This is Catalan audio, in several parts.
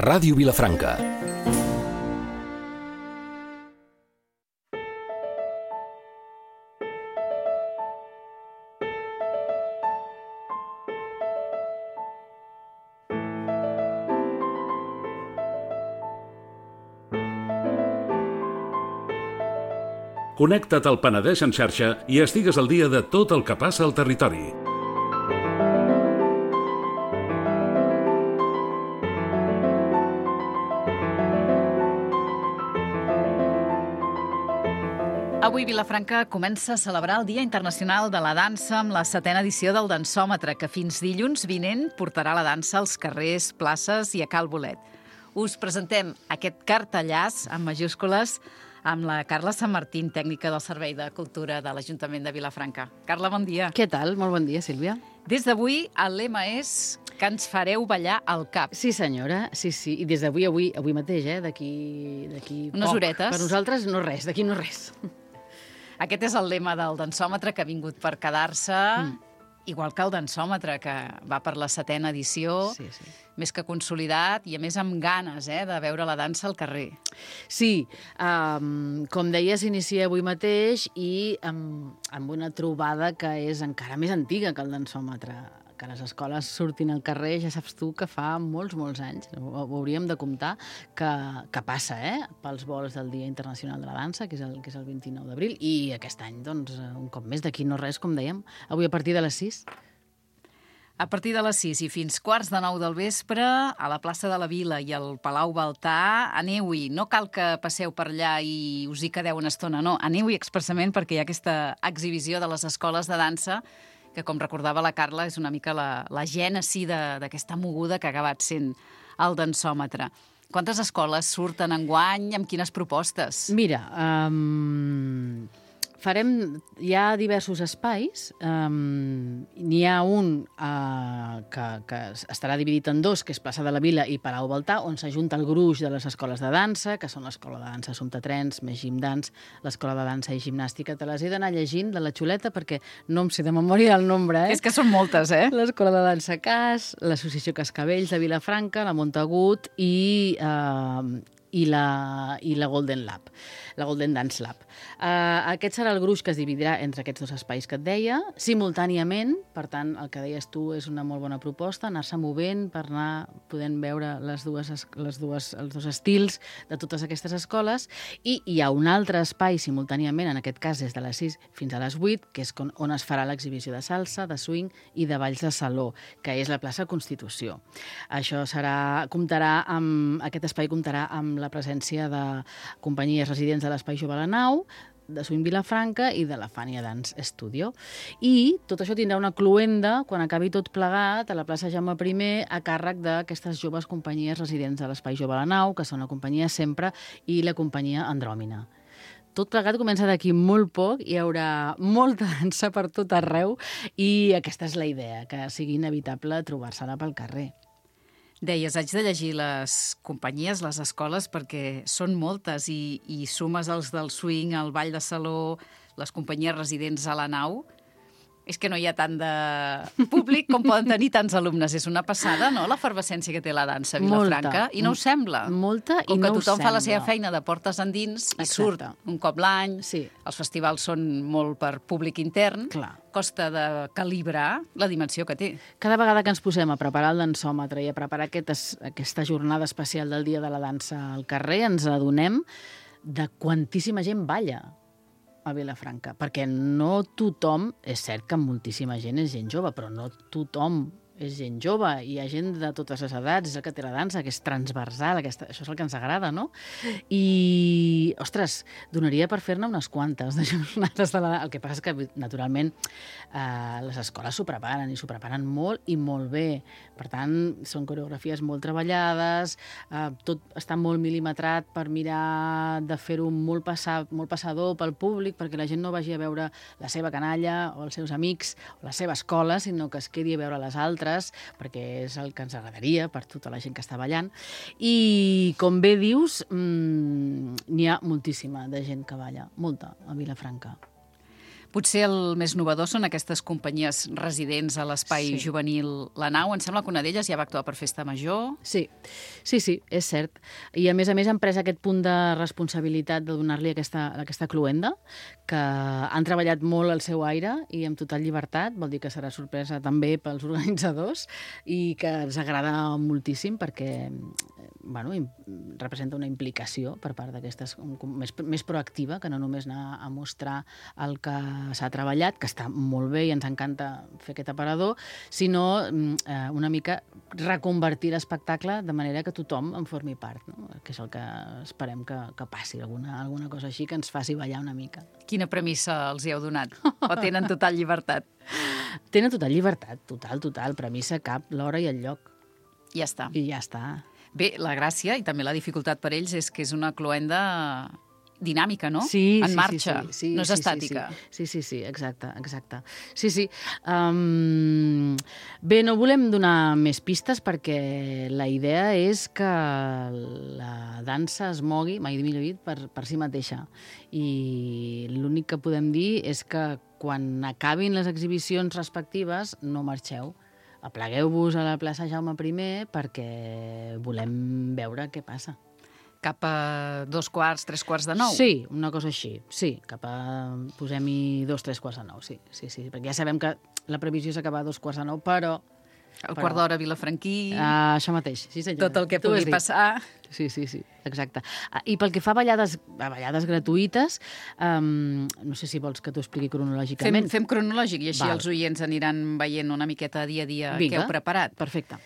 Ràdio Vilafranca. Connecta't al Penedès en xarxa i estigues al dia de tot el que passa al territori. Avui Vilafranca comença a celebrar el Dia Internacional de la Dansa amb la 7ª edició del Dansòmetre, que fins dilluns vinent portarà la dansa als carrers, places i a Cal Bolet. Us presentem aquest cartellàs amb majúscules amb la Carla Sant Martín, tècnica del Servei de Cultura de l'Ajuntament de Vilafranca. Carla, bon dia. Què tal? Molt bon dia, Sílvia. Des d'avui, el lema és que ens fareu ballar al cap. Sí, senyora, sí. I des d'avui, avui mateix, d'aquí unes poc. horetes. Per nosaltres no res, d'aquí no res. Aquest és el lema del dansòmetre que ha vingut per quedar-se, igual que el dansòmetre, que va per la 7ª edició, Sí. més que consolidat i, a més, amb ganes de veure la dansa al carrer. Sí, com deia, s'inicia avui mateix i amb una trobada que és encara més antiga que el dansòmetre. Que les escoles surtin al carrer, ja saps tu que fa molts anys, ho hauríem de comptar, que passa, pels vols del Dia Internacional de la Dansa, que és el 29 d'abril, i aquest any, doncs, un cop més, d'aquí no res, com dèiem, avui a partir de les 6. A partir de les 6 i fins 8:45 del vespre, a la plaça de la Vila i al Palau Baltà, aneu-hi. No cal que passeu per allà i us hi quedeu una estona, no. Aneu-hi expressament perquè hi ha aquesta exhibició de les escoles de dansa que, com recordava la Carla, és una mica la gènesi d'aquesta moguda que ha acabat sent el dansòmetre. Quantes escoles surten enguany? Amb quines propostes? Mira, hi ha diversos espais. N'hi ha un que estarà dividit en dos, que és plaça de la Vila i Palau Baltà, on s'ajunta el gruix de les escoles de dansa, que són l'Escola de Dansa Assumpta Trens, més Gimdans, l'Escola de Dansa i Gimnàstica. Te les he d'anar llegint de la xuleta perquè no em sé de memòria el nombre. És que són moltes, L'Escola de Dansa Cas, l'Associació Cascavells de Vilafranca, la Montagut i la Golden Lab, la Golden Dance Lab. Aquest serà el gruix que es dividirà entre aquests dos espais que et deia, simultàniament. Per tant, el que deies tu és una molt bona proposta, anar-se movent per anar podent veure els dos estils de totes aquestes escoles. I hi ha un altre espai simultàniament, en aquest cas des de les 6 fins a les 8, que és on es farà l'exhibició de salsa, de swing i de balls de saló, que és la plaça Constitució. Aquest espai comptarà amb la presència de companyies residents de l'Espai Jove a la Nau, de Swing Vilafranca i de la Fania Dance Studio. I tot això tindrà una cloenda, quan acabi tot plegat, a la plaça Jaume I, a càrrec d'aquestes joves companyies residents de l'Espai Jove a la Nau, que són la companyia Sempre i la companyia Andròmina. Tot plegat comença d'aquí molt poc, hi haurà molta dansa per tot arreu i aquesta és la idea, que sigui inevitable trobar-se-la pel carrer. Deies, haig de llegir les companyies, les escoles, perquè són moltes i sumes els del swing, el ball de saló, les companyies residents a la Nau. És que no hi ha tant de públic com poden tenir tants alumnes. És una passada, no?, l'efervescència que té la dansa a Vilafranca. I no us sembla? Molta, i no us sembla. Com que tothom fa la seva feina de portes endins i surt un cop l'any, sí. Els festivals són molt per públic intern, clar. Costa de calibrar la dimensió que té. Cada vegada que ens posem a preparar el dansòmetre i a preparar aquesta jornada especial del Dia de la Dansa al carrer, ens adonem de quantíssima gent balla a Vilafranca, perquè no tothom, és cert que moltíssima gent és gent jove, però no tothom és gent jove, hi ha gent de totes les edats, és el que té la dansa, que és transversal, això és el que ens agrada, no? I, ostres, donaria per fer-ne unes quantes de jornades de la dansa. El que passa és que, naturalment, les escoles s'ho preparen, i s'ho preparen molt i molt bé. Per tant, són coreografies molt treballades, tot està molt mil·limetrat per mirar de fer-ho molt passador pel públic, perquè la gent no vagi a veure la seva canalla o els seus amics o la seva escola, sinó que es quedi a veure les altres, perquè és el que ens agradaria per tota la gent que està ballant. I, com bé dius, n'hi ha moltíssima de gent que balla, molta, a Vilafranca. Potser el més novedor són aquestes companyies residents a l'espai juvenil La Nau. Em sembla que una d'elles ja va actuar per Festa Major. Sí, és cert. I a més han pres aquest punt de responsabilitat de donar-li aquesta cluenda, que han treballat molt al seu aire i amb total llibertat, vol dir que serà sorpresa també pels organitzadors i que ens agrada moltíssim perquè representa una implicació per part d'aquestes més proactiva, que no només anar a mostrar el que s'ha treballat, que està molt bé i ens encanta fer aquest aparador, sinó una mica reconvertir l'espectacle de manera que tothom en formi part, no? Que és el que esperem que passi, alguna cosa així que ens faci ballar una mica. Quina premissa els hi heu donat? O tenen total llibertat? Tenen total llibertat, total. Premissa cap, l'hora i el lloc. Ja està. I ja està. Bé, la gràcia i també la dificultat per ells és que és una cloenda dinàmica, no? Sí, en marxa, sí, no és estàtica. Sí, exacte. Sí. Bé, no volem donar més pistes perquè la idea és que la dansa es mogui, mai millor dit, per si mateixa. I l'únic que podem dir és que quan acabin les exhibicions respectives no marxeu. Aplegueu-vos a la plaça Jaume I perquè volem veure què passa. Cap a 2:15, 3:45? Sí, una cosa així. Sí, posem-hi 2, 3:45, sí. Perquè ja sabem que la previsió és acabar a 8:45, però... El quart d'hora Vilafranquí... Això mateix, sí senyor. Tot el que pugui passar... Sí, exacte. I pel que fa a ballades gratuïtes, no sé si vols que t'ho expliqui cronològicament. Fem cronològic i així els oients aniran veient una miqueta dia a dia què heu preparat. Perfecte.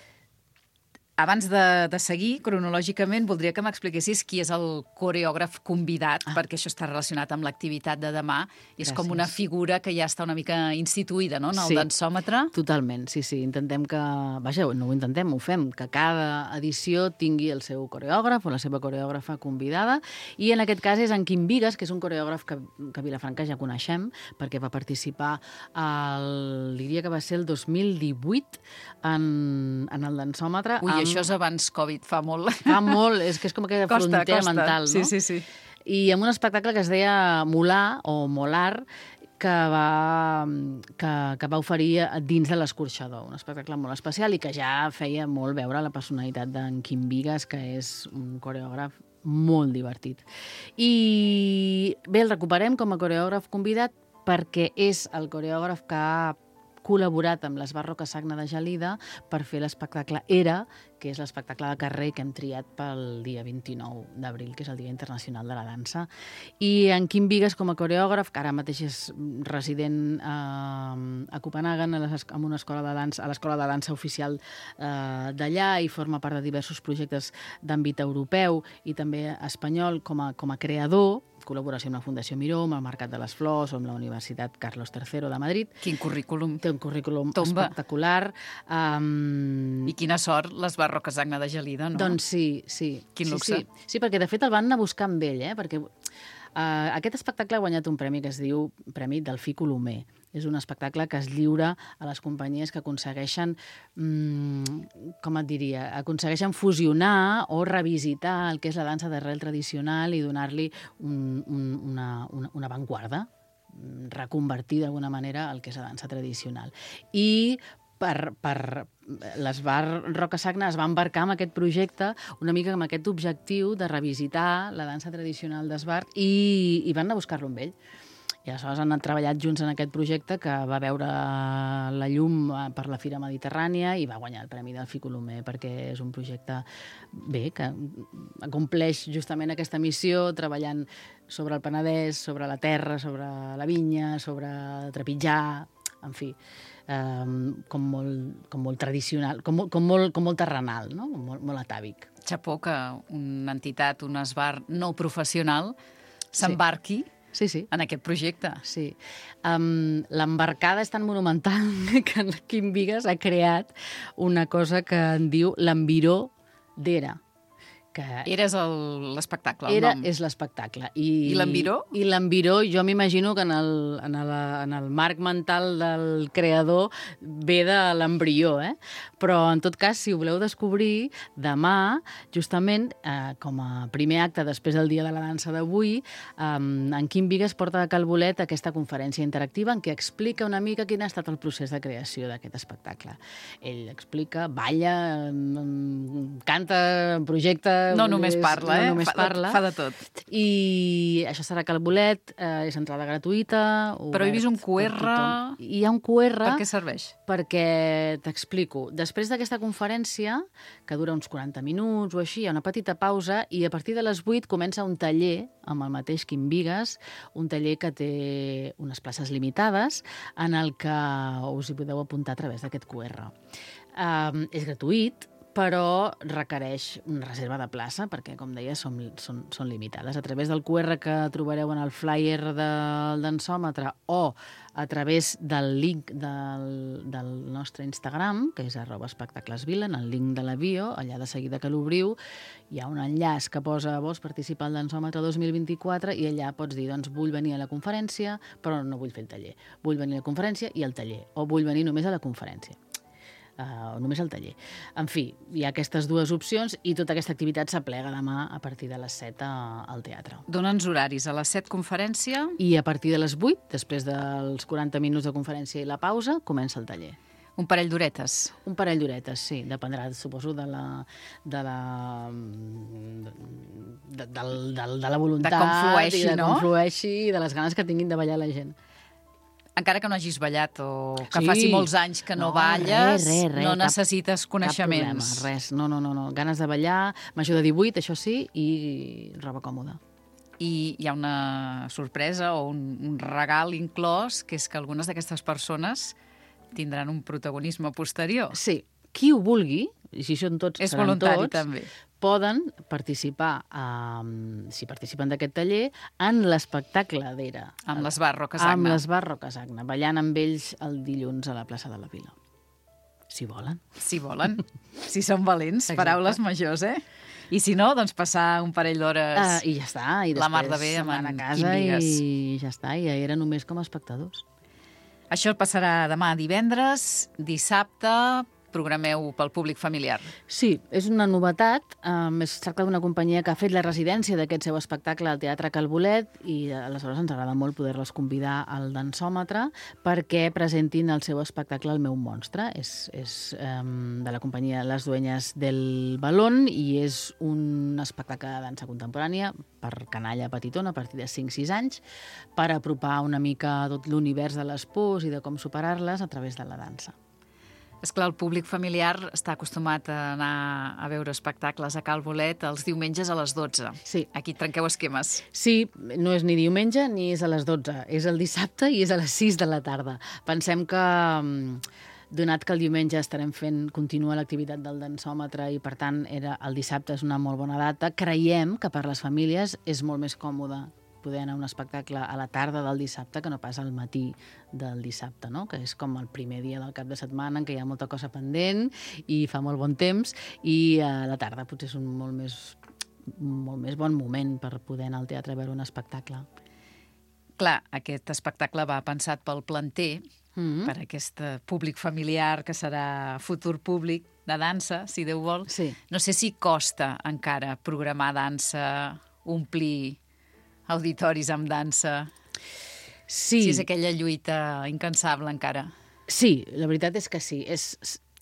Abans de seguir, cronològicament, voldria que m'expliquessis qui és el coreògraf convidat, perquè això està relacionat amb l'activitat de demà. I és com una figura que ja està una mica instituïda, no?, en el dansòmetre. Totalment, sí. Intentem que... Vaja, no ho intentem, ho fem, que cada edició tingui el seu coreògraf o la seva coreògrafa convidada. I en aquest cas és en Quim Bigues, que és un coreògraf que a Vilafranca ja coneixem, perquè va participar diria que va ser el 2018 en el dansòmetre. Ui, això és abans Covid, fa molt. Fa molt, és que és com aquella frontera mental, no? Sí. I amb un espectacle que es deia Molar, o Molar, que va oferir dins de l'Escorxador. Un espectacle molt especial i que ja feia molt veure la personalitat d'en Quim Bigues, que és un coreògraf molt divertit. I bé, el recuperem com a coreògraf convidat perquè és el coreògraf que ha col·laborat amb les Barroca Sagna de Gelida per fer l'espectacle Era, que és l'espectacle de carrer que hem triat pel dia 29 d'abril, que és el Dia Internacional de la Dansa. I en Quim Bigues, com a coreògraf, que ara mateix és resident a Copenhagen, en una escola de dansa, a l'escola de dansa oficial d'allà, i forma part de diversos projectes d'àmbit europeu i també espanyol com a creador, col·laboració amb la Fundació Miró, amb el Mercat de les Flors o amb la Universitat Carlos III de Madrid. Quin currículum. Té un currículum espectacular. I quina sort les Barroca Sagna de Gelida, no? Doncs sí. Quin luxe. Sí, perquè de fet el van anar a buscar amb ell, perquè aquest espectacle ha guanyat un premi que es diu Premi Delfí Colomer. És un espectacle que es lliura a les companyies que aconsegueixen, aconsegueixen fusionar o revisitar el que és la dansa d'arrel tradicional i donar-li una avantguarda, reconvertir d'alguna manera el que és la dansa tradicional. I les Barroca Sagna es va embarcar en aquest projecte una mica amb aquest objectiu de revisitar la dansa tradicional d'Esbart i van anar a buscar-lo amb ell. I aleshores han anat treballat junts en aquest projecte que va veure la llum per la Fira Mediterrània i va guanyar el Premi Delfí Colomer perquè és un projecte que acompleix justament aquesta missió treballant sobre el Penedès, sobre la terra, sobre la vinya, sobre trepitjar, en fi, com molt tradicional, com molt terrenal, no? molt atàvic. Xapó que una entitat, un esbar no professional s'embarqui en aquest projecte. Sí. L'embarcada és tan monumental que Quim Bigues ha creat una cosa que en diu l'enviró d'Era, que Eres l'espectacle, el nom. és l'espectacle. I l'enviró? I l'enviró, jo m'imagino que en el marc mental del creador ve de l'embrió, Però, en tot cas, si ho voleu descobrir, demà, justament, com a primer acte després del Dia de la Dansa d'avui, en Quim Bigues porta a Cal Bolet aquesta conferència interactiva en què explica una mica quin ha estat el procés de creació d'aquest espectacle. Ell explica, balla, canta, projecta... No només parla, No només parla. Fa de tot. I això serà Cal Bolet, és entrada gratuïta. Però he vist un QR... Hi ha un QR... Per què serveix? Perquè t'explico. Després d'aquesta conferència, que dura uns 40 minuts o així, hi ha una petita pausa i a partir de les 8 comença un taller amb el mateix Quim Bigues, un taller que té unes places limitades en el que us hi podeu apuntar a través d'aquest QR. És gratuït, però requereix una reserva de plaça perquè, com deia, són limitades. A través del QR que trobareu en el flyer del dansòmetre o a través del link del nostre Instagram, que és @espectaclesvila, en el link de la bio, allà de seguida que l'obriu, hi ha un enllaç que posa vols participar al dansòmetre 2024 i allà pots dir, doncs, vull venir a la conferència, però no vull fer el taller. Vull venir a la conferència i al taller, o vull venir només a la conferència. Només al taller. En fi, hi ha aquestes dues opcions i tota aquesta activitat s'aplega demà a partir de les 7 al teatre. Dona'ns horaris. A les 7 conferència... I a partir de les 8, després dels 40 minuts de conferència i la pausa, comença el taller. Un parell d'horetes. Un parell d'horetes, sí. Dependrà, suposo, de la voluntat... De com flueixi, i de com flueixi i de les ganes que tinguin de ballar la gent. Encara que no hagis ballat o que faci molts anys que no balles, res, no necessites coneixements. Cap problema, res. No. Ganes de ballar, major de 18, això sí, i roba còmoda. I hi ha una sorpresa o un regal inclòs, que és que algunes d'aquestes persones tindran un protagonisme posterior. Sí, qui ho vulgui, i si són tots, és seran voluntari, tots, també. Poden participar, si participen d'aquest taller, en l'espectacle d'Era. Amb l'Esbar Rocasagna. Amb l'Esbar Rocasagna, ballant amb ells el dilluns a la plaça de la Vila. Si volen. Si volen. Si són valents. Exacte. Paraules majors, I si no, doncs passar un parell d'hores I ja està. I la mar de després bé amb a en casa Quim Bigues. i ja està. I ja era només com a espectadors. Això passarà demà divendres, dissabte, programeu pel públic familiar. Sí, és una novetat. Es tracta d'una companyia que ha fet la residència d'aquest seu espectacle al Teatre Cal Bolet i aleshores ens agrada molt poder-les convidar al dansòmetre perquè presentin el seu espectacle El meu monstre. És de la companyia Les Dueñas del Balón i és un espectacle de dansa contemporània per canalla petitona a partir de 5-6 anys per apropar una mica tot l'univers de les pors i de com superar-les a través de la dansa. És clar, el públic familiar està acostumat a anar a veure espectacles a Cal Bolet els diumenges a les 12. Sí. Aquí trenqueu esquemes. Sí, no és ni diumenge ni és a les 12. És el dissabte i és a les 6 de la tarda. Pensem que, donat que el diumenge estarem fent continua l'activitat del dansòmetre i, per tant, el dissabte és una molt bona data, creiem que per les famílies és molt més còmode poder anar a un espectacle a la tarda del dissabte que no pas al matí del dissabte, no? Que és com el primer dia del cap de setmana en què hi ha molta cosa pendent i fa molt bon temps i a la tarda potser és un molt més bon moment per poder anar al teatre a veure un espectacle. Clar, aquest espectacle va pensat pel planter, per aquest públic familiar que serà futur públic de dansa, si Déu vol. Sí. No sé si costa encara programar dansa, omplir auditoris amb dansa, sí. Si és aquella lluita incansable encara. Sí, la veritat és que sí. És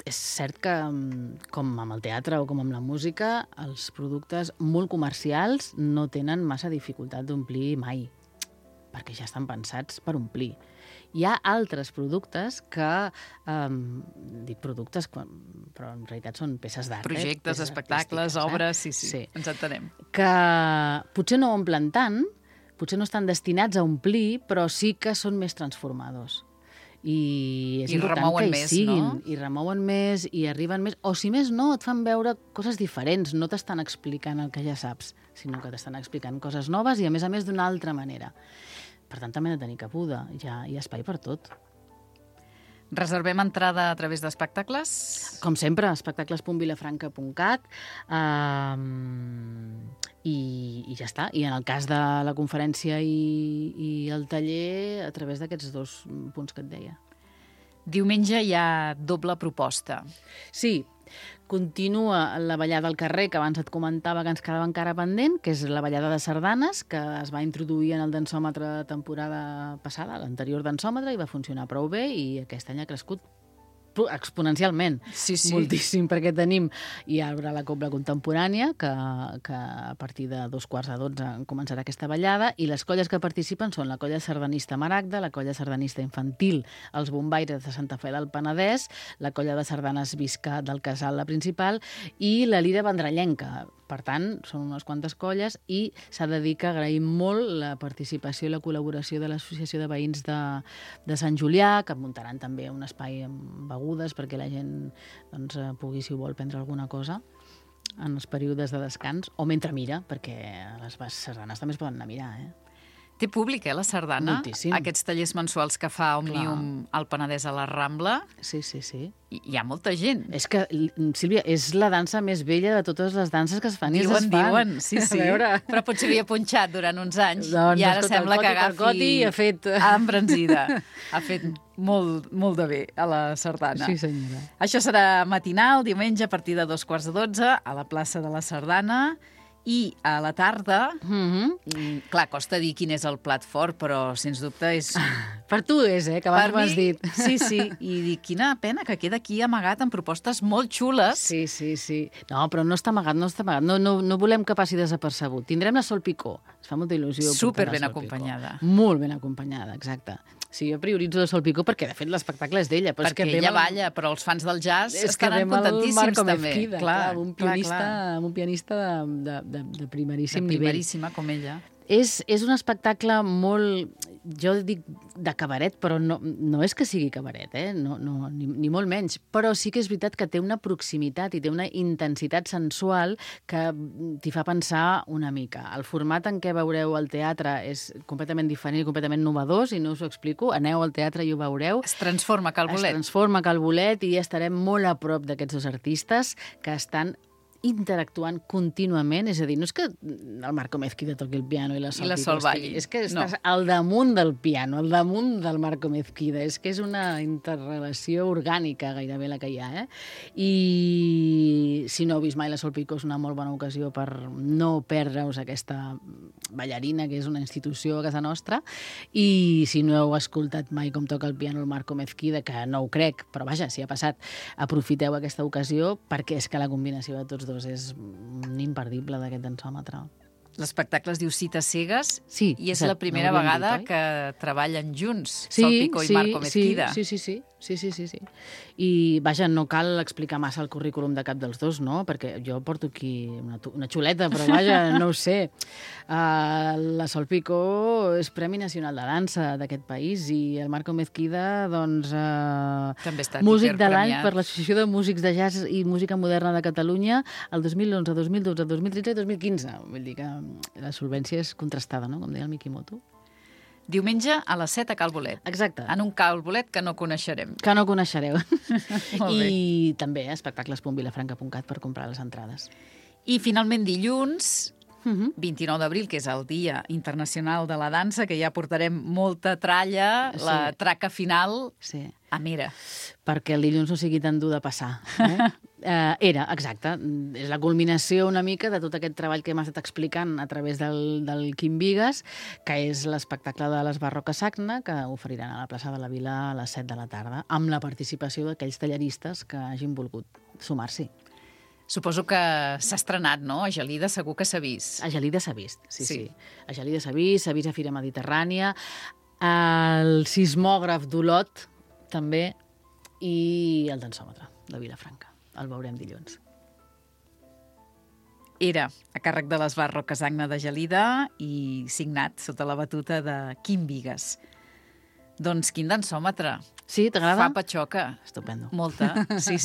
cert que, com amb el teatre o com amb la música, els productes molt comercials no tenen massa dificultat d'omplir mai, perquè ja estan pensats per omplir. Hi ha altres productes que, dic productes, però en realitat són peces d'art. Projectes, espectacles, obres, sí, ens entenem. Que potser no omplen tant, potser no estan destinats a omplir, però sí que són més transformadors. I és important que hi siguin. No? I remouen més, i arriben més. O si més no, et fan veure coses diferents. No t'estan explicant el que ja saps, sinó que t'estan explicant coses noves i, a més, d'una altra manera. Per tant, també hem de tenir cabuda. Hi ha espai per tot. Reservem entrada a través d'espectacles? Com sempre, espectacles.vilafranca.cat i ja està. I en el cas de la conferència i el taller, a través d'aquests 2 punts que et deia. Diumenge hi ha doble proposta. Sí, continua la ballada al carrer, que abans et comentava que ens quedava encara pendent, que és la ballada de sardanes, que es va introduir en el dansòmetre temporada passada, l'anterior dansòmetre, i va funcionar prou bé, i aquest any ha crescut exponencialment. Sí. Moltíssim, perquè tenim i obre la Cobla Contemporània, que a partir de 11:45 començarà aquesta ballada, i les colles que participen són la colla sardanista Maragda, la colla sardanista infantil Els Bombaires de Santa Fe del Penedès, la colla de sardanes Visca del Casal, la principal, i la Lira Vendrellenca. Per tant, són unes quantes colles i s'ha de dir que agraïm molt la participació i la col·laboració de l'Associació de Veïns de Sant Julià, que muntaran també un espai amb begudes perquè la gent pugui, si ho vol, prendre alguna cosa en els períodes de descans, o mentre mira, perquè les sardanes també es poden anar a mirar, Té públic, la sardana? Moltíssim. Aquests tallers mensuals que fa Òmnium al Penedès a la Rambla. Sí. Hi ha molta gent. És que, Sílvia, és la dansa més vella de totes les danses que es fan i es desfan. Diuen, sí. Però potser havia punxat durant uns anys i ara sembla que agafi... I ha fet... embranzida. Ha fet molt de bé a la sardana. Sí, senyora. Això serà matinal, diumenge, a partir de 2:45, a la plaça de la Sardana. I a la tarda, clar, costa dir quin és el plat fort, però sens dubte és... Per tu és, que abans m'has dit. Sí, i dic, quina pena que queda aquí amagat amb propostes molt xules. Sí. No, però no està amagat. No volem que passi desapercebut. Tindrem la Sol Picó. Ens fa molta il·lusió. Super ben acompanyada. Molt ben acompanyada, exacte. Sí, jo prioritzo la Sol Picó perquè, de fet, l'espectacle és d'ella. Perquè ella balla, però els fans del jazz estaran contentíssims també. Clar, un pianista de primeríssim nivell. De primeríssima, com ella. És un espectacle molt, jo dic, de cabaret, però no és que sigui cabaret, ni molt menys. Però sí que és veritat que té una proximitat i té una intensitat sensual que t'hi fa pensar una mica. El format en què veureu el teatre és completament diferent i completament innovador, si no us ho explico. Aneu al teatre i ho veureu. Es transforma Cal Bolet. Es transforma Cal Bolet i estarem molt a prop d'aquests 2 artistes que estan interactuant contínuament, és a dir, no és que el Marco Mezquida toqui el piano i la Sol balli. És que estàs al damunt del piano, al damunt del Marco Mezquida. És que és una interrelació orgànica gairebé la que hi ha, I si no heu vist mai la Sol Picó és una molt bona ocasió per no perdre-us aquesta ballarina, que és una institució a casa nostra, i si no heu escoltat mai com toca el piano el Marco Mezquida, que no ho crec, però vaja, si ha passat, aprofiteu aquesta ocasió perquè és que la combinació de tots 2 és un imperdible d'aquest dansòmetre. L'espectacle es diu Cites cegues i és exacte, la primera vegada que treballen junts, Sí, Sol Picó i Marco Mezquida. Sí. I, vaja, no cal explicar massa el currículum de cap dels 2, no? Perquè jo porto aquí una xuleta, però vaja, no ho sé. La Sol Picó és Premi Nacional de Dansa d'aquest país i el Marco Mezquida, doncs, també està músic de l'any per l'Associació de Músics de Jazz i Música Moderna de Catalunya el 2011, 2012, 2013 i 2015. Vull dir que la solvència és contrastada, no? Com deia el Mikimoto. Diumenge a les 7 a Cal Bolet. Exacte. En un Cal Bolet que no coneixerem. Que no coneixereu. Molt bé. I també espectacles.vilafranca.cat per comprar les entrades. I finalment dilluns, 29 d'abril, que és el Dia Internacional de la Dansa, que ja portarem molta tralla, la traca final a Mera. Perquè el dilluns no sigui tan dur de passar. Exacte. És la culminació una mica de tot aquest treball que hem estat explicant a través del Quim Vigas, que és l'espectacle de les Barroques Sagna, que oferiran a la plaça de la Vila a les 7 de la tarda, amb la participació d'aquells tallaristes que hagin volgut sumar-s'hi. Suposo que s'ha estrenat, no? A Gelida segur que s'ha vist. A Gelida s'ha vist, sí. A Gelida s'ha vist a Fira Mediterrània, el sismògraf d'Olot, també, i el dansòmetre de Vilafranca. El veurem dilluns. Era a càrrec de les Barroques Sagna de Gelida i signat sota la batuta de Quim Vigas. Doncs quin dansòmetre. Sí, t'agrada? Fa patxoca. Estupendo. Molta, sí.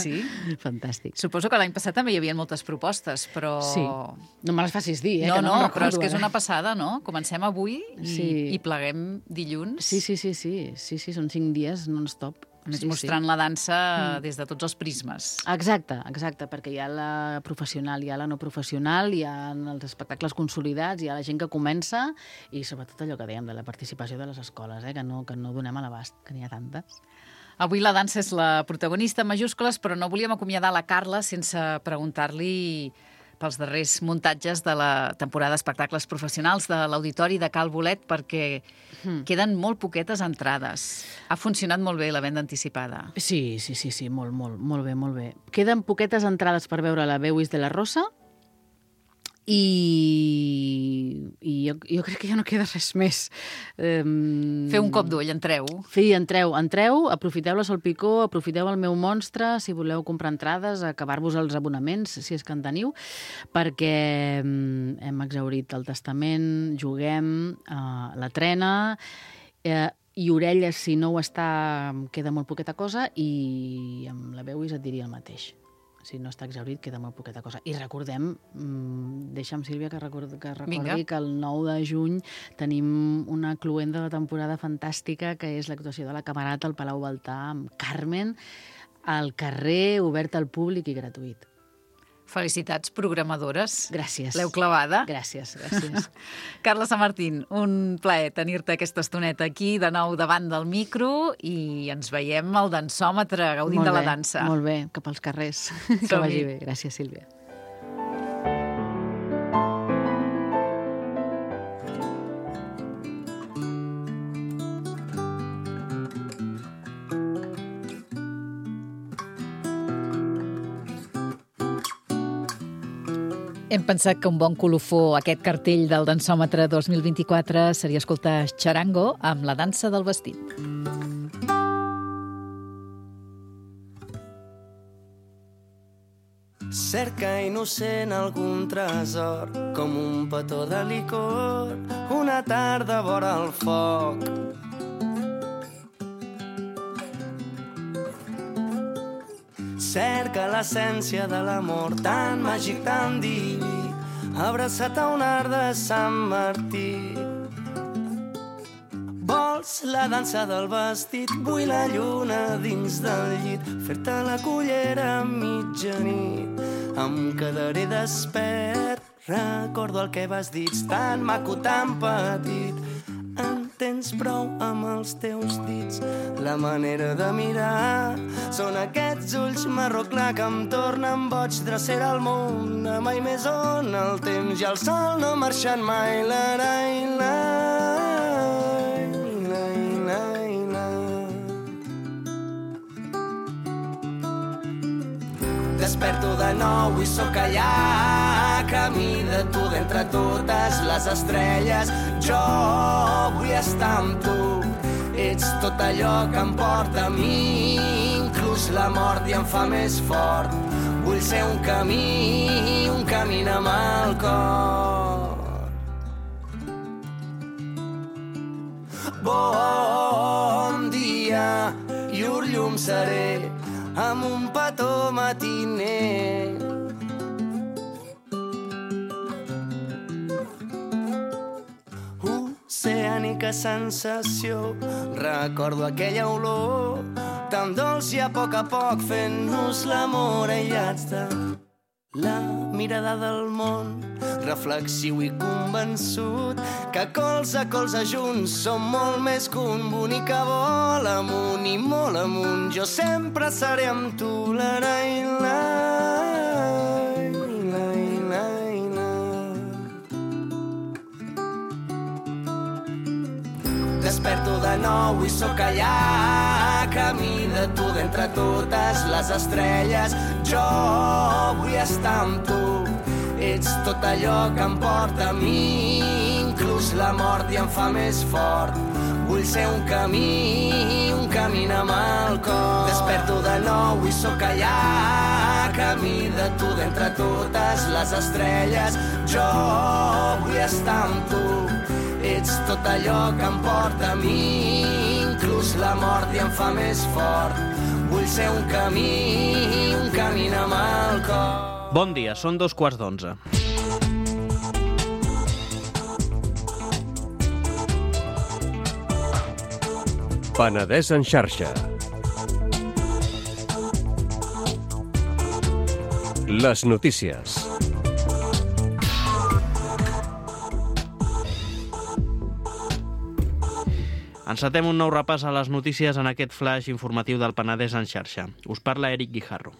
Fantàstic. Suposo que l'any passat també hi havia moltes propostes, però... Sí. No me les facis dir, No, que no recordo, però és que és una passada, no? Comencem avui i pleguem dilluns. Sí, són 5 dies non-stop. Més mostrant la dansa des de tots els prismes. Exacte, perquè hi ha la professional, hi ha la no professional, hi ha els espectacles consolidats, hi ha la gent que comença i sobretot allò que dèiem de la participació de les escoles, que no donem a l'abast, que n'hi ha tantes. Avui la dansa és la protagonista en majúscules, però no volíem acomiadar la Carla sense preguntar-li pels darrers muntatges de la temporada d'espectacles professionals de l'Auditori de Cal Bolet, perquè queden molt poquetes entrades. Ha funcionat molt bé la venda anticipada. Sí, molt bé. Queden poquetes entrades per veure la Veuis de la Rosa i jo crec que ja no queda res més. Feu un cop d'ull, entreu. Sí, entreu, aprofiteu la Sol Picó, aprofiteu el meu monstre, si voleu comprar entrades, acabar-vos els abonaments, si és que en teniu, perquè hem exhaurit el testament, juguem, la trena, i Orelles, si no ho està, queda molt poqueta cosa, i amb la Veuis et diria el mateix. Si no està exhaurit, queda molt poqueta cosa. I recordem, deixa'm, Sílvia, que recordi que el 9 de juny tenim una cloenda de temporada fantàstica, que és l'actuació de la Camerata al Palau Baltà amb Carmen, al carrer, obert al públic i gratuït. Felicitats, programadores. Gràcies. L'heu clavada. Gràcies. Carla Samartín, un plaer tenir-te aquesta estoneta aquí, de nou davant del micro, i ens veiem al dansòmetre, gaudint de la dansa. Molt bé, cap als carrers. Que vagi bé. Gràcies, Sílvia. Hem pensat que un bon colofó aquest cartell del Dansòmetre 2024 seria escoltar Charango amb la dansa del vestit. Cerca innocent algun tresor, com un petó de licor, una tarda vora el foc. Cerca l'essència de l'amor, tan màgic, tan diví, abraçat a un art de Sant Martí. Vols la dansa del vestit, vull la lluna dins del llit, fer-te la cullera a mitjanit. Em quedaré despert, recordo el que vas dir, tan maco, tan petit. Tens prou amb els teus dits, la manera de mirar. Són aquests ulls marró clar que em tornen boig, drecera al món, mai més on el temps i el sol no marxen mai. Desperto de nou i sóc allà, camí de tu d'entre totes les estrelles. Jo vull estar amb tu, ets tot allò que em porta a mi, inclús la mort i em fa més fort. Vull ser un camí amb el cor. Bon dia, llur llum seré, amb un petó matiner. Oceànica sensació, recordo aquella olor tan dolç i a poc fent-nos l'amor aïllats de la mirada del món, reflexiu i convençut que colze a colze junts som molt més que un bonic que vol amunt i molt amunt. Jo sempre seré amb tu, Desperto de nou i sóc allà, camí de tu d'entre totes les estrelles. Jo vull estar amb tu, ets tot allò que em porta a mi, inclús la mort i em fa més fort. Vull ser un camí amb el cor. Desperto de nou i sóc allà, camí de tu d'entre totes les estrelles. Jo vull estar amb tu, ets tot allò que em porta a mi, inclús la mort i em fa més fort. Vull ser un camí amb el cor. Bon dia, són 11:15. Penedès en xarxa. Les notícies. Encetem un nou repàs a les notícies en aquest flash informatiu del Penedès en xarxa. Us parla Eric Guijarro.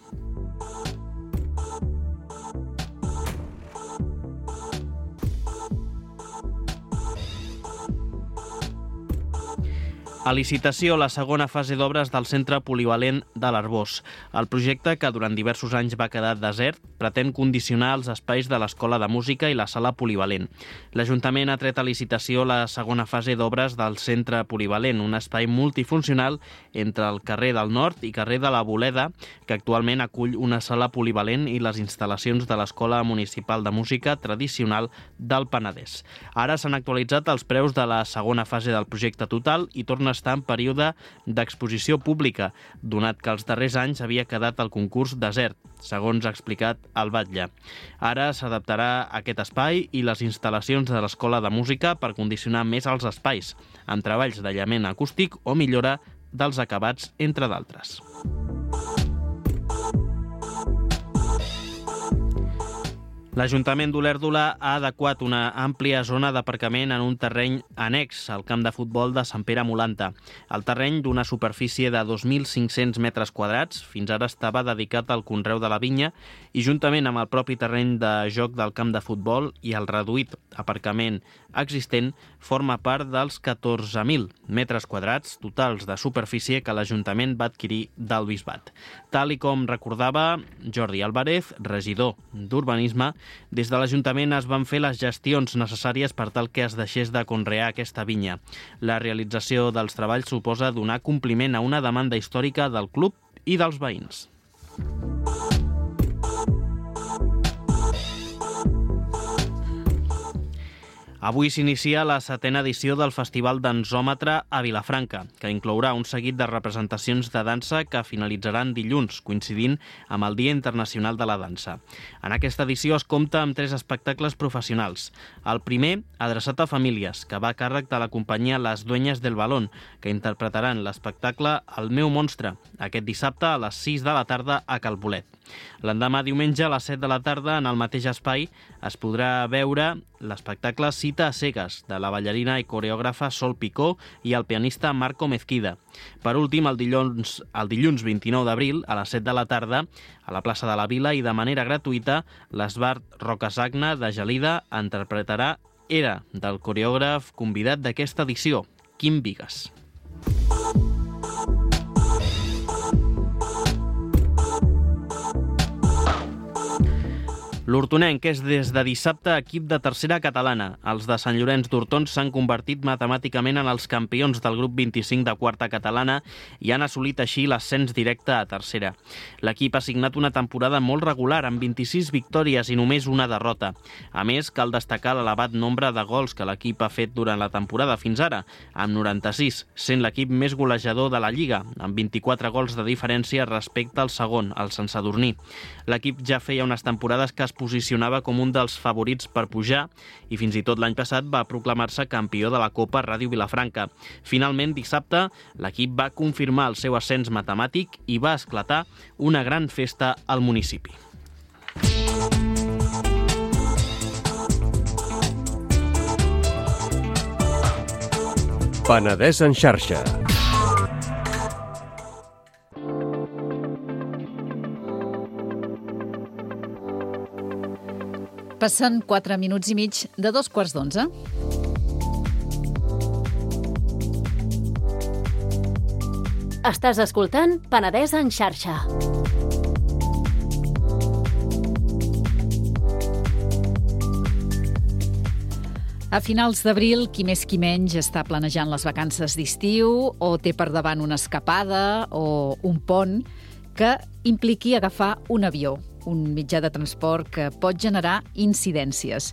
A licitació, la segona fase d'obres del Centre Polivalent de l'Arboç. El projecte, que durant diversos anys va quedar desert, pretén condicionar els espais de l'Escola de Música i la Sala Polivalent. L'Ajuntament ha tret a licitació la segona fase d'obres del Centre Polivalent, un espai multifuncional entre el carrer del Nord i carrer de la Boleda, que actualment acull una sala polivalent i les instal·lacions de l'Escola Municipal de Música tradicional del Penedès. Ara s'han actualitzat els preus de la segona fase del projecte total i torna estar en període d'exposició pública, donat que els darrers anys havia quedat el concurs desert, segons ha explicat el batlle. Ara s'adaptarà aquest espai i les instal·lacions de l'Escola de Música per condicionar més els espais, amb treballs d'aïllament acústic o millora dels acabats, entre d'altres. L'Ajuntament d'Olèrdola ha adequat una àmplia zona d'aparcament en un terreny annex al camp de futbol de Sant Pere Molanta. El terreny, d'una superfície de 2.500 metres quadrats, fins ara estava dedicat al conreu de la vinya i, juntament amb el propi terreny de joc del camp de futbol i el reduït aparcament existent, forma part dels 14.000 metres quadrats totals de superfície que l'Ajuntament va adquirir del Bisbat. Tal i com recordava Jordi Álvarez, regidor d'Urbanisme, des de l'Ajuntament es van fer les gestions necessàries per tal que es deixés de conrear aquesta vinya. La realització dels treballs suposa donar compliment a una demanda històrica del club i dels veïns. Avui s'inicia la 7a edició del Festival Dansòmetre a Vilafranca, que inclourà un seguit de representacions de dansa que finalitzaran dilluns, coincidint amb el Dia Internacional de la Dansa. En aquesta edició es compta amb 3 espectacles professionals. El primer, adreçat a famílies, que va a càrrec de la companyia Les Dueñas del Balón, que interpretaran l'espectacle El meu monstre, aquest dissabte a les 6 de la tarda a Calbolet. L'endemà, diumenge, a les 7 de la tarda, en el mateix espai, es podrà veure l'espectacle Cita a cegues, de la ballarina i coreògrafa Sol Picó i el pianista Marco Mezquida. Per últim, el dilluns 29 d'abril, a les 7 de la tarda, a la plaça de la Vila i de manera gratuïta, l'Esbart Rocasagna de Gelida interpretarà Era, del coreògraf convidat d'aquesta edició, Quim Vigues. L'Hortonenc és des de dissabte equip de tercera catalana. Els de Sant Llorenç d'Hortons s'han convertit matemàticament en els campions del grup 25 de quarta catalana i han assolit així l'ascens directe a tercera. L'equip ha signat una temporada molt regular, amb 26 victòries i només una derrota. A més, cal destacar l'elevat nombre de gols que l'equip ha fet durant la temporada fins ara, amb 96, sent l'equip més golejador de la Lliga, amb 24 gols de diferència respecte al segon, el Sant Sadurní. L'equip ja feia unes temporades que es posicionava com un dels favorits per pujar i fins i tot l'any passat va proclamar-se campió de la Copa Ràdio Vilafranca. Finalment, dissabte, l'equip va confirmar el seu ascens matemàtic i va esclatar una gran festa al municipi. Penedès en xarxa. Passen 4 minuts i mig de 2:15. Estàs escoltant Penedès en xarxa. A finals d'abril, qui més qui menys està planejant les vacances d'estiu o té per davant una escapada o un pont que impliqui agafar un avió, un mitjà de transport que pot generar incidències.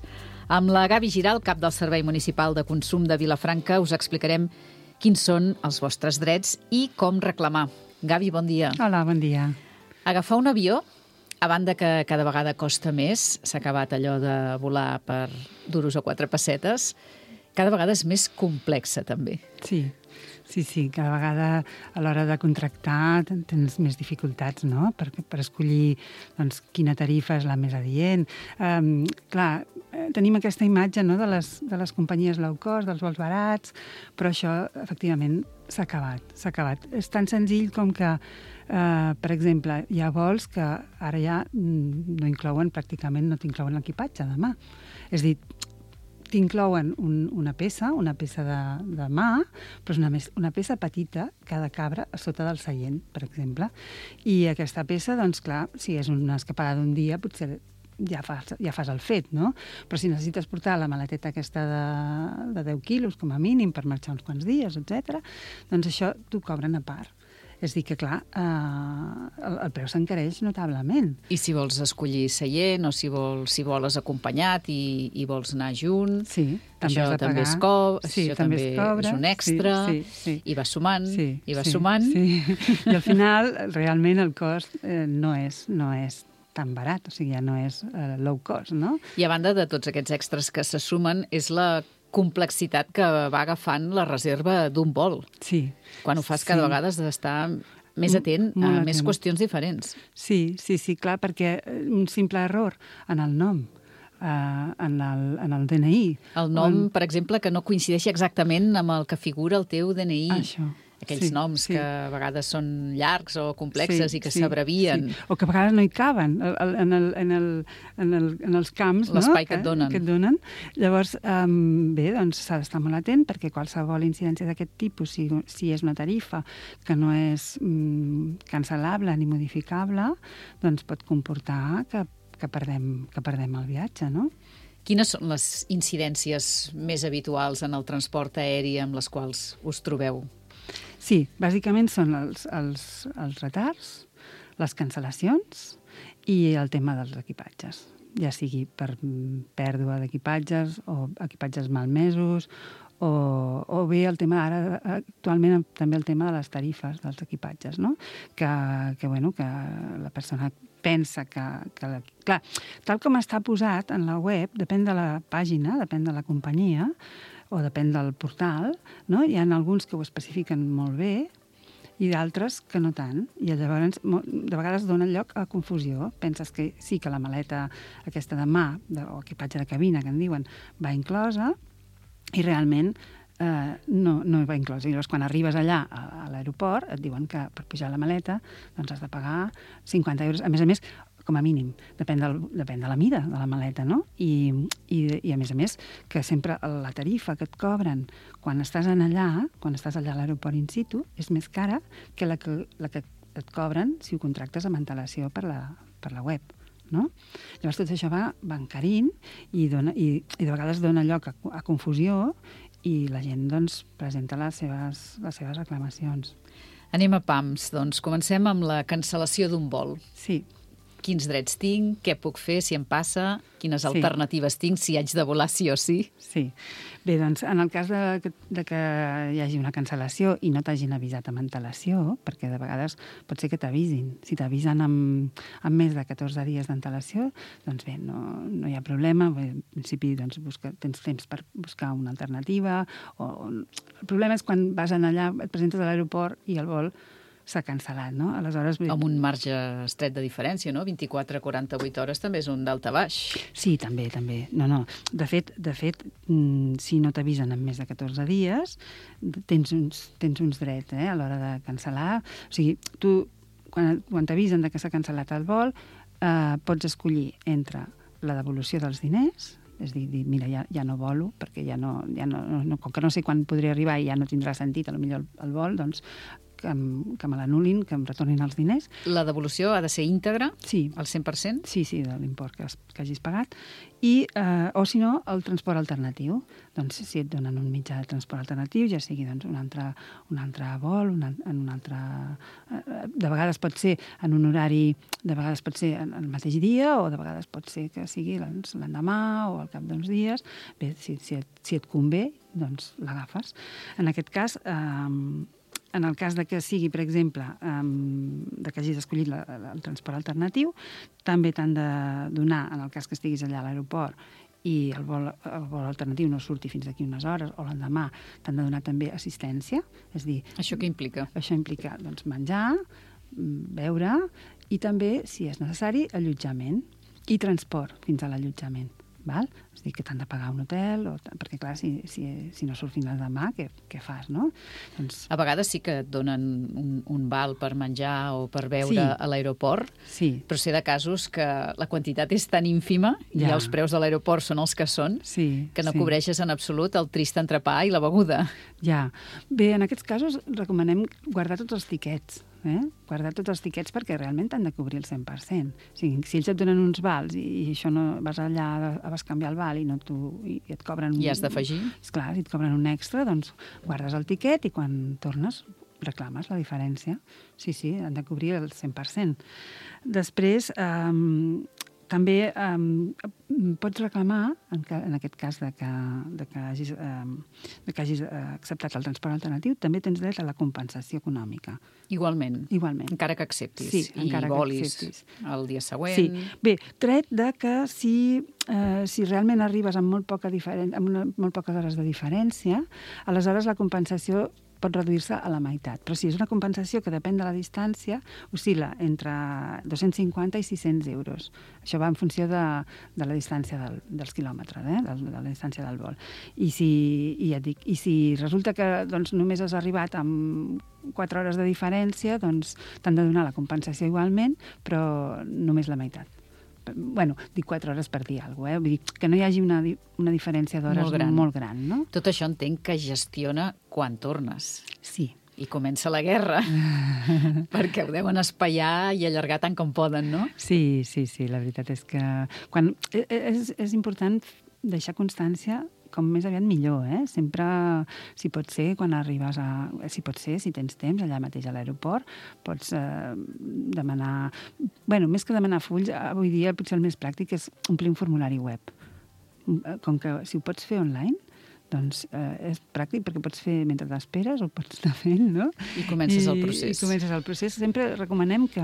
Amb la Gavi Giral, cap del Servei Municipal de Consum de Vilafranca, us explicarem quins són els vostres drets i com reclamar. Gavi, bon dia. Hola, bon dia. Agafar un avió, a banda que cada vegada costa més, s'ha acabat allò de volar per duros o 4 pessetes, cada vegada és més complexa, també. Sí, Sí, cada vegada a l'hora de contractar tens més dificultats, no?, per escollir doncs, quina tarifa és la més adient. Clar, tenim aquesta imatge, no?, de les companyies low cost, dels vols barats, però això, efectivament, s'ha acabat. És tan senzill com que, per exemple, hi ha vols que ara ja no inclouen l'equipatge de mà. És a dir, t'inclouen una peça de mà, però és una peça petita que ha de cabre a sota del seient, per exemple. I aquesta peça, doncs clar, si és una escapada d'un dia, potser ja fas el fet, no? Però si necessites portar la maleteta aquesta de 10 quilos, com a mínim, per marxar uns quants dies, etc., doncs això t'ho cobren a part. És a dir que, clar, el preu s'encareix notablement. I si vols escollir seient o si voles acompanyat i vols anar junts, sí, això també es cobra, és un extra, i vas sumant, sumant. Sí. I al final, realment, el cost no és tan barat, o sigui, ja no és low cost, no? I a banda de tots aquests extras que se sumen, és la complexitat que va agafant la reserva d'un vol. Sí. Quan ho fas cada vegada has d'estar més atent a més qüestions diferents. Sí, clar, perquè un simple error en el nom, en el DNI... El nom, per exemple, que no coincideixi exactament amb el que figura el teu DNI. Això. Aquells noms que a vegades són llargs o complexes i que s'abrevien. Sí. O que a vegades no hi caben en els camps, l'espai que et donen. Llavors, bé, doncs s'ha d'estar molt atent perquè qualsevol incidència d'aquest tipus, si és una tarifa que no és cancel·lable ni modificable, doncs pot comportar que perdem el viatge, no? Quines són les incidències més habituals en el transport aeri amb les quals us trobeu? Sí, bàsicament són els retards, les cancel·lacions i el tema dels equipatges, ja sigui per pèrdua d'equipatges o equipatges malmesos o bé el tema ara, actualment també el tema de les tarifes dels equipatges, no? Que la persona pensa que... Clar, tal com està posat en la web, depèn de la pàgina, depèn de la companyia, o depèn del portal, no? Hi ha alguns que ho especifiquen molt bé i d'altres que no tant. I llavors, de vegades dona lloc a confusió. Penses que sí que la maleta aquesta de mà, o equipatge de cabina, que en diuen, va inclosa, i realment no va inclosa. I llavors, quan arribes allà a l'aeroport, et diuen que per pujar la maleta doncs has de pagar 50 euros. A més, com a mínim, depèn de la mida de la maleta, no? I a més, que sempre la tarifa que et cobren quan estàs allà a l'aeroport in situ, és més cara que la que et cobren si ho contractes amb antelació per la web, no? Llavors tot això va encarint i de vegades dona lloc a confusió i la gent doncs presenta les seves reclamacions. Anem a pams, doncs comencem amb la cancel·lació d'un vol. Sí. Quins drets tinc, què puc fer si em passa, quines alternatives tinc si haig de volar sí o sí. Sí. Bé, doncs, en el cas de que hi hagi una cancel·lació i no t'hagin avisat amb antelació, perquè de vegades pot ser que t'avisin. Si t'avisen amb més de 14 dies d'antelació, doncs bé, no hi ha problema. En principi, doncs, tens temps per buscar una alternativa. El problema és quan vas allà, et presentes a l'aeroport i el vol s'ha cancel·lat, no? Aleshores... Amb un marge estret de diferència, no? 24 a 48 hores també és un d'alta baix. Sí, també. No. De fet, si no t'avisen en més de 14 dies, tens uns drets a l'hora de cancel·lar. O sigui, tu, quan t'avisen que s'ha cancel·lat el vol, pots escollir entre la devolució dels diners, és a dir, mira, ja no volo, perquè com que no sé quan podré arribar i ja no tindrà sentit, potser el vol, doncs que me l'anul·lin, que em retornin els diners. La devolució ha de ser íntegra? Sí. Al 100%? Sí, de l'import que hagis pagat. O, si no, el transport alternatiu. Doncs si et donen un mitjà de transport alternatiu, ja sigui un altre vol, en un altre... De vegades pot ser en un horari, de vegades pot ser el mateix dia, o de vegades pot ser que sigui l'endemà o al cap d'uns dies. Bé, si et convé, doncs l'agafes. En aquest cas... En el cas de que sigui, per exemple, de que hagis escollit el transport alternatiu, també t'han de donar, en el cas que estiguis allà a l'aeroport i el vol alternatiu no surti fins d'aquí unes hores o l'endemà, t'han de donar també assistència. És dir, Això què implica? Això implica doncs, menjar, beure i també, si és necessari, allotjament i transport fins a l'allotjament. Val? És a dir, que t'han de pagar un hotel, perquè clar, si no surt fins l'endemà, què fas, no? Doncs... A vegades sí que et donen un val per menjar o per beure a l'aeroport, però sé de casos que la quantitat és tan ínfima i els preus de l'aeroport són els que són, que no cobreixes en absolut el trist entrepà i la beguda. Ja. Bé, en aquests casos recomanem guardar tots els tiquets, guardar tots els tiquets perquè realment t'han de cobrir el 100%. Si ells et donen uns vals i això no vas allà a bescanviar el val i et cobren... I has d'afegir? Esclar, si et cobren un extra, doncs guardes el tiquet i quan tornes reclames la diferència. Sí, han de cobrir el 100%. Després, també pots reclamar, en aquest cas que hagis acceptat el transport alternatiu, també tens dret a la compensació econòmica. Igualment. Encara que acceptis. Sí, encara que acceptis. El dia següent. Sí. Bé, tret de que si realment arribes amb molt poques hores de diferència, aleshores la compensació pot reduir-se a la meitat. Però si és una compensació que depèn de la distància, oscil·la entre 250 i 600 euros. Això va en funció de la distància dels quilòmetres, de la distància del vol. I si resulta que només has arribat amb 4 hores de diferència, doncs t'han de donar la compensació igualment, però només la meitat. Bueno, dic 4 hores per dir alguna cosa, vull dir que no hi hagi una diferència d'hores molt gran, no? Tot això entenc que gestiona quan tornes. Sí. I comença la guerra, perquè ho deuen espaiar i allargar tant com poden, no? Sí, la veritat és que és important deixar constància com més aviat millor, Sempre, si pot ser, quan arribes si pot ser, si tens temps, allà mateix a l'aeroport, pots demanar... Bueno, més que demanar fulls, avui dia potser el més pràctic és omplir un formulari web. Com que si ho pots fer online, doncs és pràctic perquè pots fer mentre t'esperes o pots anar fent, no? I comences el procés. I comences el procés. Sempre recomanem que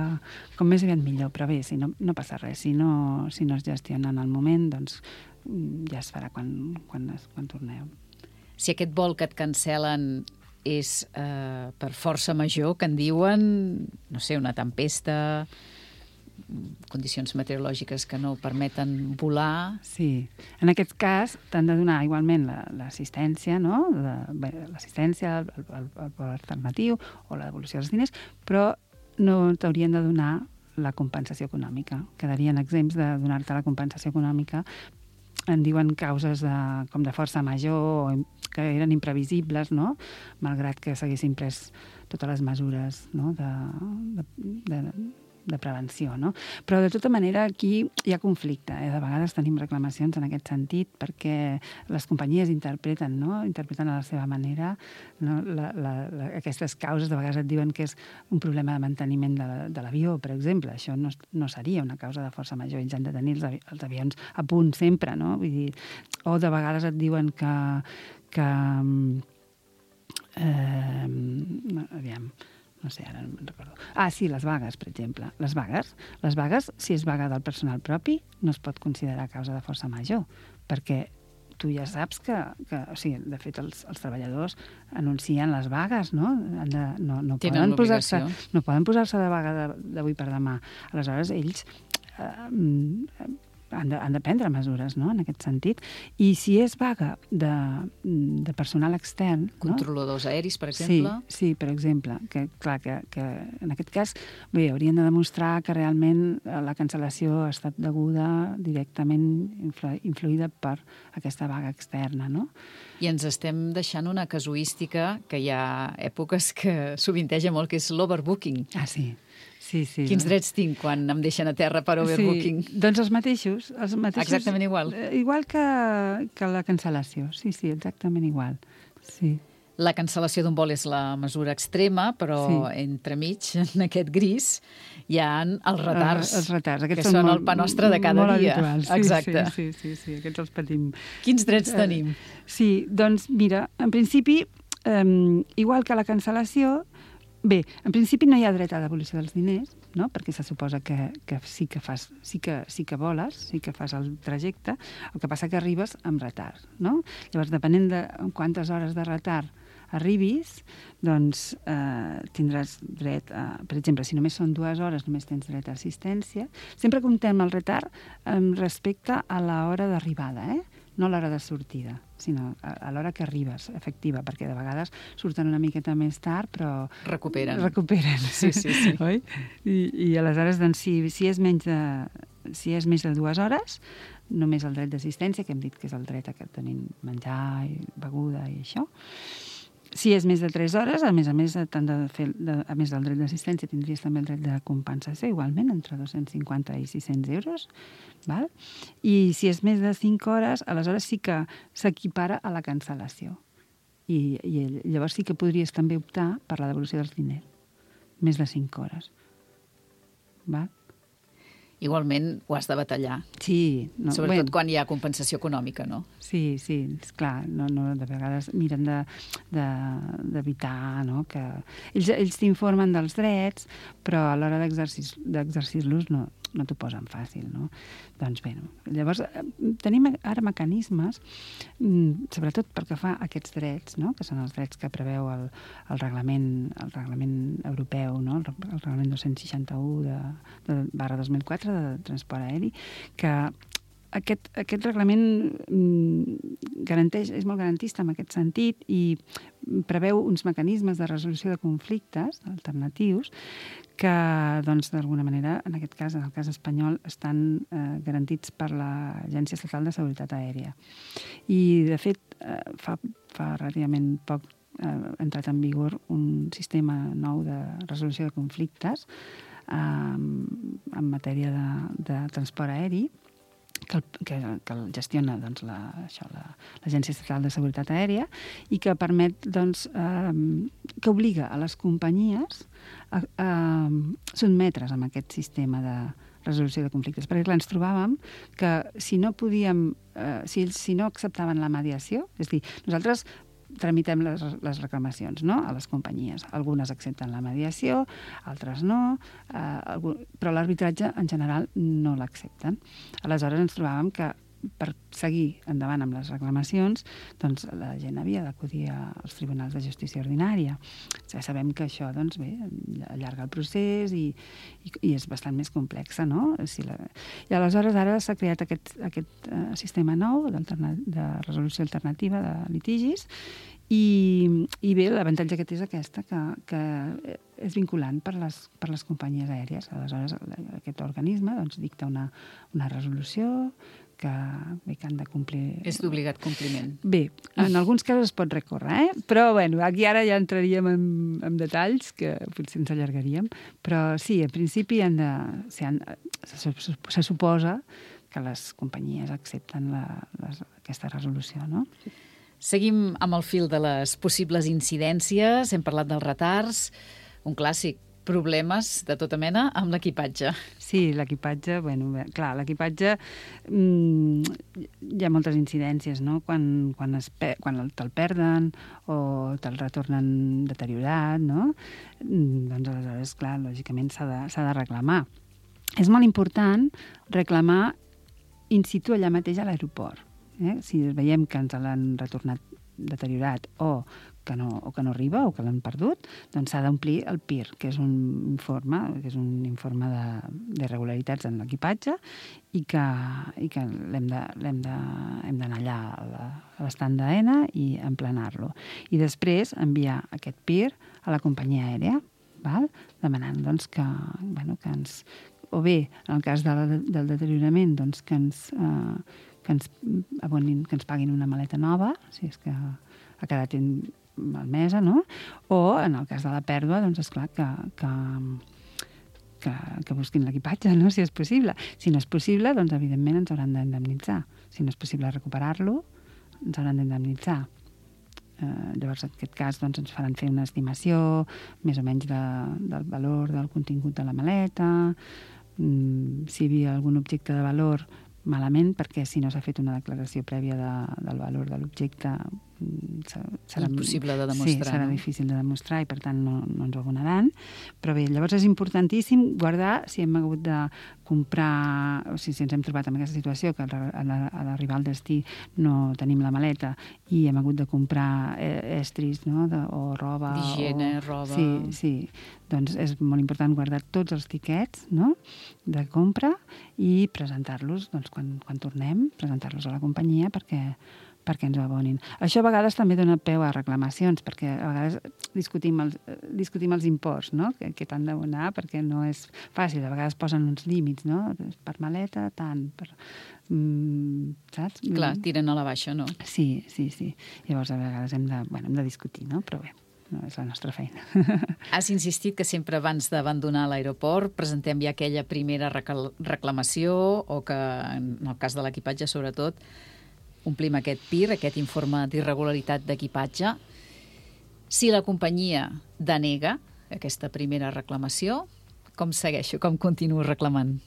com més aviat millor, però bé, si no passa res. Si no es gestiona en el moment, doncs ja es farà quan torneu. Si aquest vol que et cancel·len és per força major, que en diuen, no sé, una tempesta, condicions meteorològiques que no permeten volar... Sí. En aquest cas t'han de donar igualment l'assistència, no? L'assistència, el vol alternatiu o la devolució dels diners, però no t'haurien de donar la compensació econòmica. Quedarien exempts de donar-te la compensació econòmica. En diuen causes com de força major, que eren imprevisibles, no? Malgrat que s'haguessin pres totes les mesures, no? de prevenció, no? Però de tota manera aquí hi ha conflicte. De vegades tenim reclamacions en aquest sentit perquè les companyies interpreten a la seva manera, no? Aquestes causes de vegades et diuen que és un problema de manteniment de l'avió, per exemple. Això no seria una causa de força major. Ells han de tenir els avions a punt sempre, no? Vull dir, o de vegades et diuen que aviam, no sé, ara no me'n recordo. Sí, les vagues, per exemple. Les vagues, si és vaga del personal propi, no es pot considerar causa de força major, perquè tu ja saps que o sigui, de fet, els treballadors anuncien les vagues, no? No poden posar-se de vaga d'avui per demà. Aleshores, ells han de prendre mesures, no?, en aquest sentit. I si és vaga de personal extern... Controladors aeris, per exemple? Sí, per exemple. Que, clar, que en aquest cas, bé, haurien de demostrar que realment la cancel·lació ha estat deguda directament influïda per aquesta vaga externa, no? I ens estem deixant una casuística que hi ha èpoques que sovinteja molt, que és l'overbooking. Sí. Sí. Quins drets tinc quan em deixen a terra per overbooking? Sí, doncs els mateixos. Exactament igual. Igual que la cancel·lació. Sí, exactament igual. Sí. La cancel·lació d'un vol és la mesura extrema, però entremig, en aquest gris, hi ha els retards, que són el pa nostre de cada dia. Habituals. Exacte. Sí, aquests els patim. Quins drets tenim? Sí, doncs mira, en principi, igual que la cancel·lació, bé, en principi no hi ha dret a devolució dels diners, no? Perquè se suposa que sí que voles, sí que fas el trajecte, el que passa que arribes amb retard, no? Llavors, depenent de quantes hores de retard arribis, doncs tindràs dret a... Per exemple, si només són 2 hores, només tens dret a assistència. Sempre comptem el retard respecte a l'hora d'arribada, no a l'hora de sortida, sinó a l'hora que arribes, efectiva, perquè de vegades surten una miqueta més tard, però... Recuperen. Sí. Oi? I aleshores, doncs, si és menys de 2 hores, només el dret d'assistència, que hem dit que és el dret a que tenim menjar i beguda i això. Si és més de 3 hores, a més, a més del dret d'assistència, tindries també el dret de compensació, igualment, entre 250 i 600 euros. Val? I si és més de 5 hores, aleshores sí que s'equipara a la cancel·lació. I llavors sí que podries també optar per la devolució dels diners. Més de 5 hores. Val? Igualment ho has de batallar. Sí. Sobretot quan hi ha compensació econòmica, no? Sí, esclar, de vegades miren d'evitar, no? Que ells t'informen dels drets, però a l'hora d'exercir-los no t'ho posen fàcil, no? Doncs bé, llavors tenim ara mecanismes, sobretot pel que fa a aquests drets, no? Que són els drets que preveu el reglament europeu, no? El reglament 261/2004 de transport aeri, que aquest reglament és molt garantista en aquest sentit i preveu uns mecanismes de resolució de conflictes alternatius que, doncs, d'alguna manera, en aquest cas, en el cas espanyol, estan garantits per l'Agència Estatal de Seguretat Aèria. I, de fet, fa relativament poc ha entrat en vigor un sistema nou de resolució de conflictes en matèria de transport aeri, que el gestiona doncs, l'Agència Estatal de Seguretat Aèria i que permet, doncs, que obliga a les companyies a sotmetre's a aquest sistema de resolució de conflictes. Perquè clar, ens trobàvem que si no acceptaven la mediació, és a dir, nosaltres tramitem les reclamacions, no?, a les companyies. Algunes accepten la mediació, altres no, però l'arbitratge en general no l'accepten. Aleshores ens trobàvem que per seguir endavant amb les reclamacions, doncs la gent havia d'acudir als tribunals de justícia ordinària. Ja sabem que això, doncs bé, allarga el procés i és bastant més complex, no? I aleshores ara s'ha creat aquest sistema nou de resolució alternativa de litigis i bé, l'avantatge que té és aquesta, que és vinculant per les companyies aèries. Aleshores aquest organisme dicta una resolució que han de complir... És d'obligat compliment. Bé, en alguns casos es pot recórrer, però bueno, aquí ara ja entraríem en detalls que potser ens allargaríem, però sí, en principi se suposa que les companyies accepten aquesta resolució, no? Seguim amb el fil de les possibles incidències, hem parlat dels retards, un clàssic, problemes de tota mena amb l'equipatge. Sí, l'equipatge, bueno, clar, l'equipatge hi ha moltes incidències, no? Quan te'l perden o te'l retornen deteriorat, no? Doncs aleshores, clar, lògicament s'ha de reclamar. És molt important reclamar in situ allà mateix a l'aeroport. Si veiem que ens l'han retornat deteriorat o que no arriba o que l'han perdut, doncs s'ha d'omplir el PIR, que és un informe d'irregularitats en l'equipatge i que hem d'anar allà a l'estand d'AENA i emplenar-lo. I després enviar aquest PIR a la companyia aèria, demanant doncs, que ens... O bé, en el cas del deteriorament, doncs, que ens paguin una maleta nova, si és que ha quedat malmesa, no? O, en el cas de la pèrdua, doncs, esclar, que busquin l'equipatge, no?, si és possible. Si no és possible, doncs, evidentment, ens hauran d'indemnitzar. Si no és possible recuperar-lo, ens hauran d'indemnitzar. Llavors, en aquest cas, doncs, ens faran fer una estimació més o menys del valor del contingut de la maleta, si hi havia algun objecte de valor, malament, perquè si no s'ha fet una declaració prèvia del valor de l'objecte, serà impossible de demostrar. Sí, serà difícil de demostrar i per tant no ens ho abonaran. Però bé, llavors és importantíssim guardar si hem hagut de comprar, o sigui, si ens hem trobat en aquesta situació que a l'arribar al destí no tenim la maleta i hem hagut de comprar estris, no? O roba. D'higiene, roba. Sí. Doncs és molt important guardar tots els tiquets, no? De compra i presentar-los, doncs, quan tornem, presentar-los a la companyia perquè ens ho abonin. Això a vegades també dona peu a reclamacions, perquè a vegades discutim els imports, no? Que t'han d'abonar, perquè no és fàcil. A vegades posen uns límits, no? Per maleta, tant, saps? Clar, tiren a la baixa, no? Sí. Llavors a vegades hem de discutir, no? Però bé, no és la nostra feina. Has insistit que sempre abans d'abandonar l'aeroport presentem ja aquella primera reclamació o que, en el cas de l'equipatge sobretot, omplim aquest PIR, aquest informe d'irregularitat d'equipatge. Si la companyia denega aquesta primera reclamació, com segueixo, com continuo reclamant?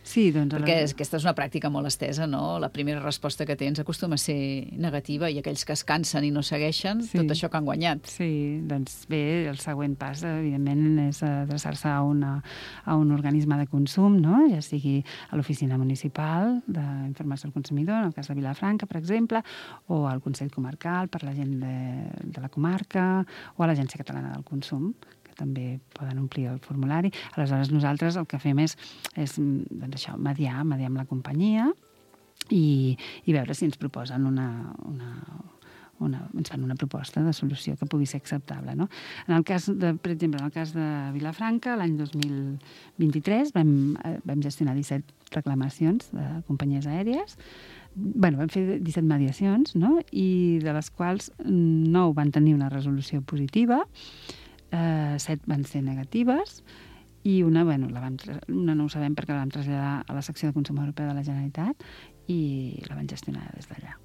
Sí, doncs... Perquè aquesta és una pràctica molt estesa, no? La primera resposta que tens acostuma a ser negativa i aquells que es cansen i no segueixen, tot això que han guanyat. Sí, doncs bé, el següent pas, evidentment, és adreçar-se a un organisme de consum, no? Ja sigui a l'Oficina Municipal d'Informació al Consumidor, en el cas de Vilafranca, per exemple, o al Consell Comarcal per la gent de la comarca, o a l'Agència Catalana del Consum, també poden omplir el formulari. Aleshores, nosaltres el que fem és doncs això, mediar amb la companyia i veure si ens proposen ens fan una proposta de solució que pugui ser acceptable, no? Per exemple, en el cas de Vilafranca, l'any 2023 vam gestionar 17 reclamacions de companyies aèries. Vam fer 17 mediacions, no? I de les quals 9 van tenir una resolució positiva, 7 van ser negatives i una no ho sabem perquè la vam traslladar a la secció de Consum Europea de la Generalitat i la van gestionar des d'allà.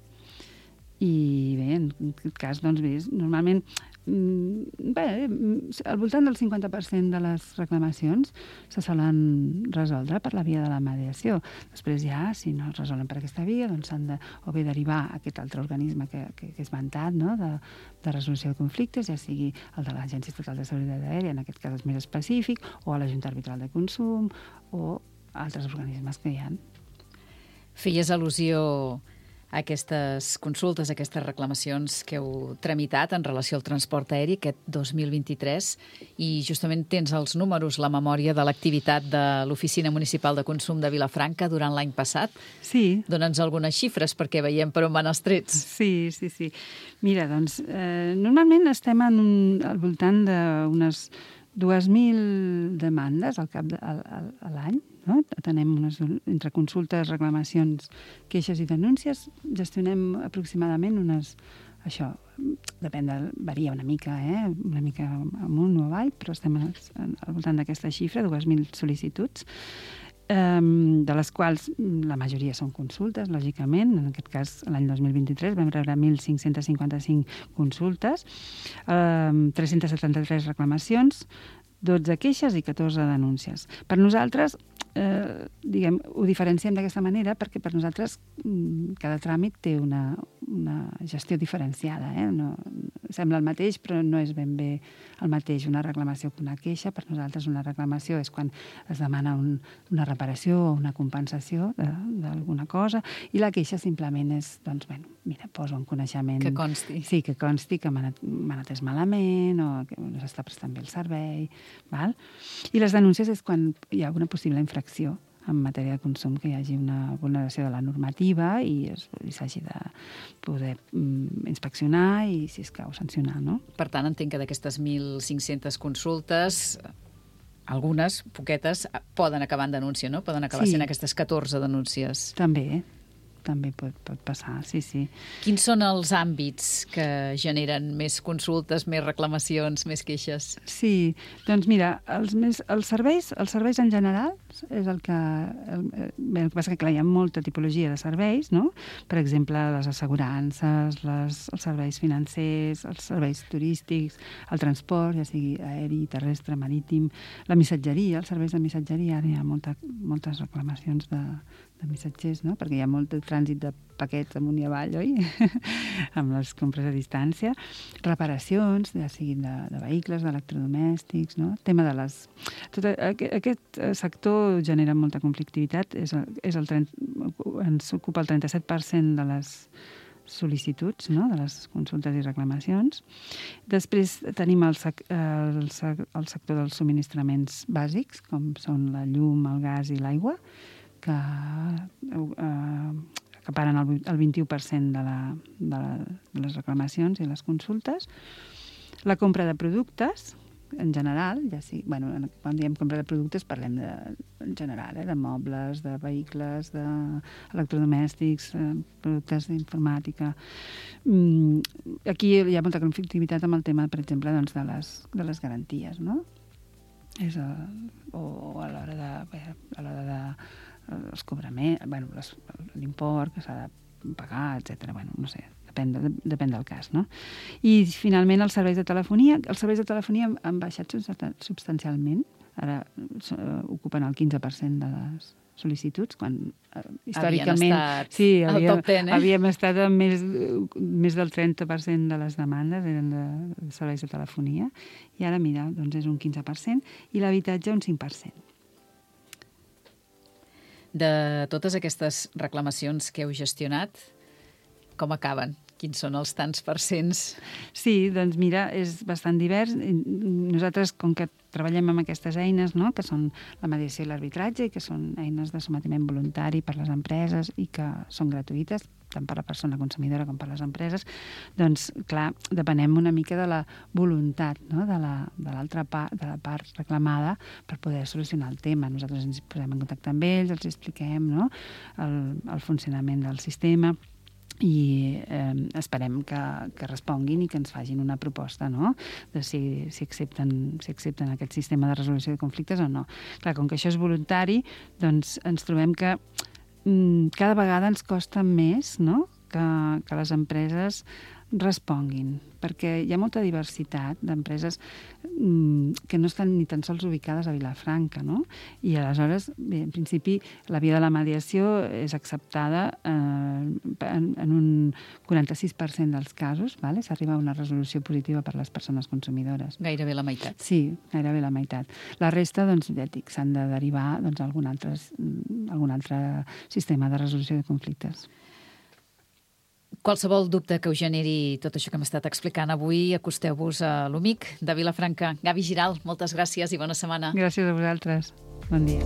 I bé, en aquest cas, doncs bé, normalment al voltant del 50% de les reclamacions se solen resoldre per la via de la mediació. Després ja, si no es resolen per aquesta via, doncs s'han de o bé derivar a aquest altre organisme que he esmentat, no? de resolució de conflictes, ja sigui el de l'Agència Estatal de Seguretat Aèria, en aquest cas és més específic, o a la Junta Arbitral de Consum, o altres organismes que hi ha. Feies al·lusió a aquestes consultes, a aquestes reclamacions que heu tramitat en relació al transport aeri aquest 2023 i justament tens els números, la memòria de l'activitat de l'Oficina Municipal de Consum de Vilafranca durant l'any passat. Sí. Dóna'ns algunes xifres perquè veiem per on van els trets. Sí. Mira, doncs, normalment estem al voltant d'unes 2.000 demandes al cap a l'any, no? Tenem entre consultes, reclamacions, queixes i denúncies, gestionem aproximadament això, varia una mica, una mica amunt o avall, però estem al voltant d'aquesta xifra, 2.000 sol·licituds, de les quals la majoria són consultes, lògicament. En aquest cas, l'any 2023 vam rebre 1.555 consultes, 373 reclamacions, 12 queixes i 14 denúncies. Per nosaltres, ho diferenciem d'aquesta manera perquè per nosaltres cada tràmit té una gestió diferenciada. Sembla el mateix, però no és ben bé el mateix una reclamació que una queixa. Per nosaltres una reclamació és quan es demana una reparació o una compensació d'alguna cosa i la queixa simplement és, poso en coneixement... Que consti. Sí, que consti que m'han atès malament o que no s'està prestant bé el servei. Val? I les denúncies és quan hi ha alguna possible infracció en matèria de consum, que hi hagi una vulneració de la normativa i s'hagi de poder inspeccionar i, si escau, sancionar, no? Per tant, entenc que d'aquestes 1.500 consultes, algunes, poquetes, poden acabar en denúncia, no? Poden acabar sent aquestes 14 denúncies. També pot passar, sí. Quins són els àmbits que generen més consultes, més reclamacions, més queixes? Sí, doncs mira, els serveis en general és el que... el que passa que, clar, hi ha molta tipologia de serveis, no? Per exemple, les assegurances, els serveis financers, els serveis turístics, el transport, ja sigui aeri, terrestre, marítim, la missatgeria, els serveis de missatgeria, ara hi ha moltes reclamacions missatgers, no? Perquè hi ha molt de trànsit de paquets amunt i avall, oi? Amb les compres a distància. Reparacions, ja siguin de vehicles, d'electrodomèstics, no? Tema de les... Aquest sector genera molta conflictivitat, ens ocupa el 37% de les sol·licituds, no? De les consultes i reclamacions. Després tenim el sector dels subministraments bàsics, com són la llum, el gas i l'aigua, que acaparen el 21% de les reclamacions i les consultes. La compra de productes, en general, quan diem compra de productes parlem en general, de mobles, de vehicles, d'electrodomèstics, productes d'informàtica. Aquí hi ha molta conflictivitat amb el tema, per exemple, de les garanties, no? O a l'hora de els cobraments, l'import que s'ha de pagar, etc. No sé, depèn del cas, no? I, finalment, els serveis de telefonia. Els serveis de telefonia han baixat substancialment. Ara ocupen el 15% de les sol·licituds, quan històricament... Havíem estat amb més del 30% de les demandes eren de serveis de telefonia, i ara, mira, doncs és un 15%, i l'habitatge un 5%. De totes aquestes reclamacions que heu gestionat, com acaben? Quins són els tants percents? Sí, doncs mira, és bastant divers. Nosaltres, com que treballem amb aquestes eines, no?, que són la mediació i l'arbitratge, i que són eines de sometiment voluntari per les empreses i que són gratuïtes, tant per la persona consumidora com per les empreses, doncs, clar, depenem una mica de la voluntat, no?, de l'altra part, de la part reclamada, per poder solucionar el tema. Nosaltres ens posem en contacte amb ells, els expliquem, no?, el funcionament del sistema, i esperem que responguin i que ens facin una proposta, no?, de si accepten aquest sistema de resolució de conflictes o no. Clar, com que això és voluntari, doncs ens trobem que cada vegada ens costa més, no?, que les empreses responguin, perquè hi ha molta diversitat d'empreses que no estan ni tan sols ubicades a Vilafranca, no? I aleshores, bé, en principi, la via de la mediació és acceptada en un 46% dels casos, vale? S'arriba a una resolució positiva per les persones consumidores. Gairebé la meitat. Sí, gairebé la meitat. La resta, doncs, ja dic, s'han de derivar a algun altre sistema de resolució de conflictes. Qualsevol dubte que us generi tot això que hem estat explicant avui, acosteu-vos a l'UMIC de Vilafranca. Gavi Giral, moltes gràcies i bona setmana. Gràcies a vosaltres. Bon dia.